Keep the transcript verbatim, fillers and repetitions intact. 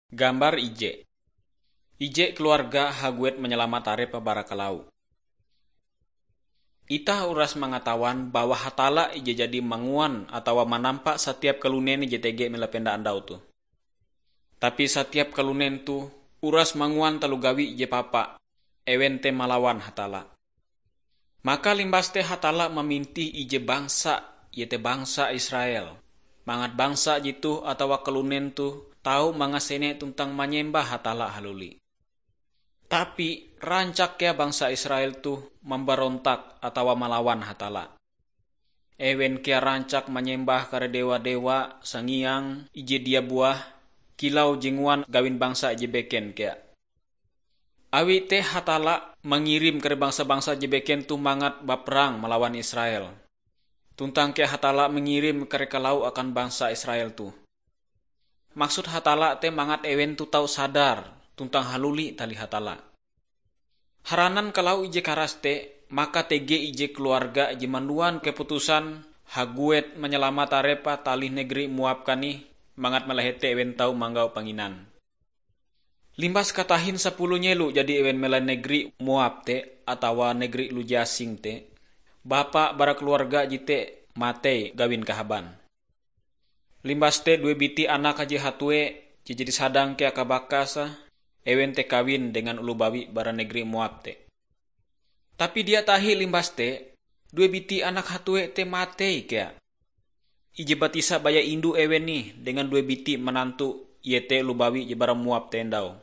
Gambar ije. Ije keluarga haguet manyalamat arepe bara kalau. Itah uras mangatawan bahwa Hatalla ije jadi manguan atawa manampa satiap kalunen ije tege mela penda andau toh. Tapi satiap kalunen toh uras manguan taloh gawi ije papa, ewen te malawan Hatalla. Maka limbas te Hatalla mamintih ije bangsa, iete bangsa Israel, mangat bangsa jetoh atawa kalunen toh tau mangasene tuntang manyembah Hatalla haluli. Tapi rancak kea bangsa Israel toh mambarontak atawa malawan Hatalla. Ewen kea rancak manyembah kare dewa-dewa sangiang ije dia buah, kilau je nguan gawin bangsa ije beken kea. Awi te Hatalla mangirim kare bangsa-bangsa je beken toh mangat baperang malawan Israel. Tuntang kea Hatalla mangirim kare kalau akan bangsa Israel toh. Maksud Hatalla te mangat ewen toh tau sadar tuntang haluli tali Hatalla. Haranan kalau ije karas te, maka tege ije keluarga je manduan keputusan haguet manyalamat arepe talih negeri Moab kanih, mangat malahete ewen tau manggau panginan. Limbas katahin sapuluh nyelo jadi ewen melai negeri Moab te atawa negeri lujasing te, bapa bara keluarga jete matei gawin kahaban. Limbas te due biti anak haji hatue je jadi sadang kea kabakase, ewen te kawin dengan oloh bawi bara negeri Moab te. Tapi dia tahi limbas te, due biti anak hatue te matei kea. Ije batisa baya indu ewen nih dengan due biti manantu, iete oloh bawi je bara Moab te endau.